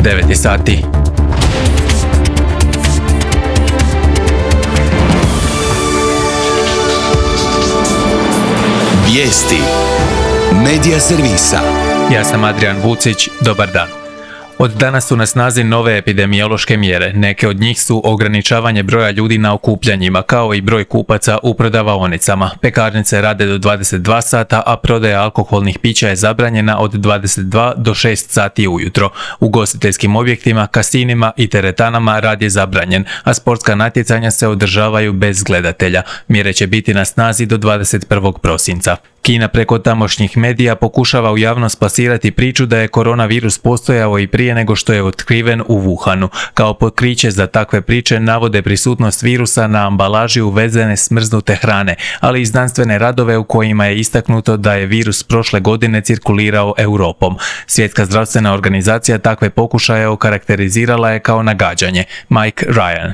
9 sati. Vijesti Medija servisa. Ja sam Adrian Vucić, dobar dan. Od danas su na snazi nove epidemiološke mjere. Neke od njih su ograničavanje broja ljudi na okupljanjima, kao i broj kupaca u prodavaonicama. Pekarnice rade do 22 sata, a prodaja alkoholnih pića je zabranjena od 22 do 6 sati ujutro. U ugostiteljskim objektima, kasinima i teretanama rad je zabranjen, a sportska natjecanja se održavaju bez gledatelja. Mjere će biti na snazi do 21. prosinca. Kina preko tamošnjih medija pokušava u javnost plasirati priču da je koronavirus postojao i prije nego što je otkriven u Wuhanu. Kao pokriće za takve priče navode prisutnost virusa na ambalaži uvezene smrznute hrane, ali i znanstvene radove u kojima je istaknuto da je virus prošle godine cirkulirao Europom. Svjetska zdravstvena organizacija takve pokušaje okarakterizirala je kao nagađanje. Mike Ryan.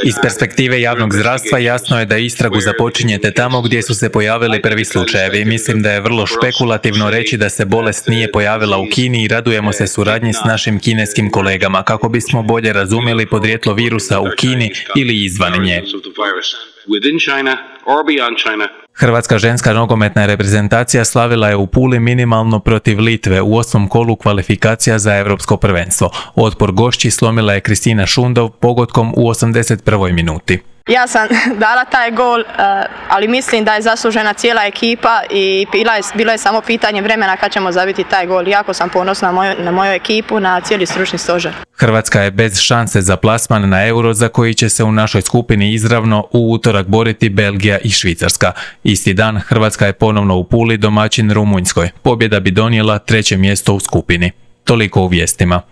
Iz perspektive javnog zdravstva jasno je da istragu započinjete tamo gdje su se pojavili prvi slučajevi. Mislim da je vrlo špekulativno reći da se bolest nije pojavila u Kini i radujemo se suradnji s našim kineskim kolegama kako bismo bolje razumjeli podrijetlo virusa u Kini ili izvan nje. Hrvatska ženska nogometna reprezentacija slavila je u Puli minimalno protiv Litve u 8. kolu kvalifikacija za Europsko prvenstvo. Otpor gošći slomila je Kristina Šundov pogodkom u 81. minuti. Ja sam dala taj gol, ali mislim da je zaslužena cijela ekipa i bilo je samo pitanje vremena kad ćemo zabiti taj gol. Jako sam ponosna na moju ekipu, na cijeli stručni stožer. Hrvatska je bez šanse za plasman na Euro za koji će se u našoj skupini izravno u utorak boriti Belgija i Švicarska. Isti dan Hrvatska je ponovno u Puli domaćin Rumunjskoj. Pobjeda bi donijela 3. mjesto u skupini. Toliko u vijestima.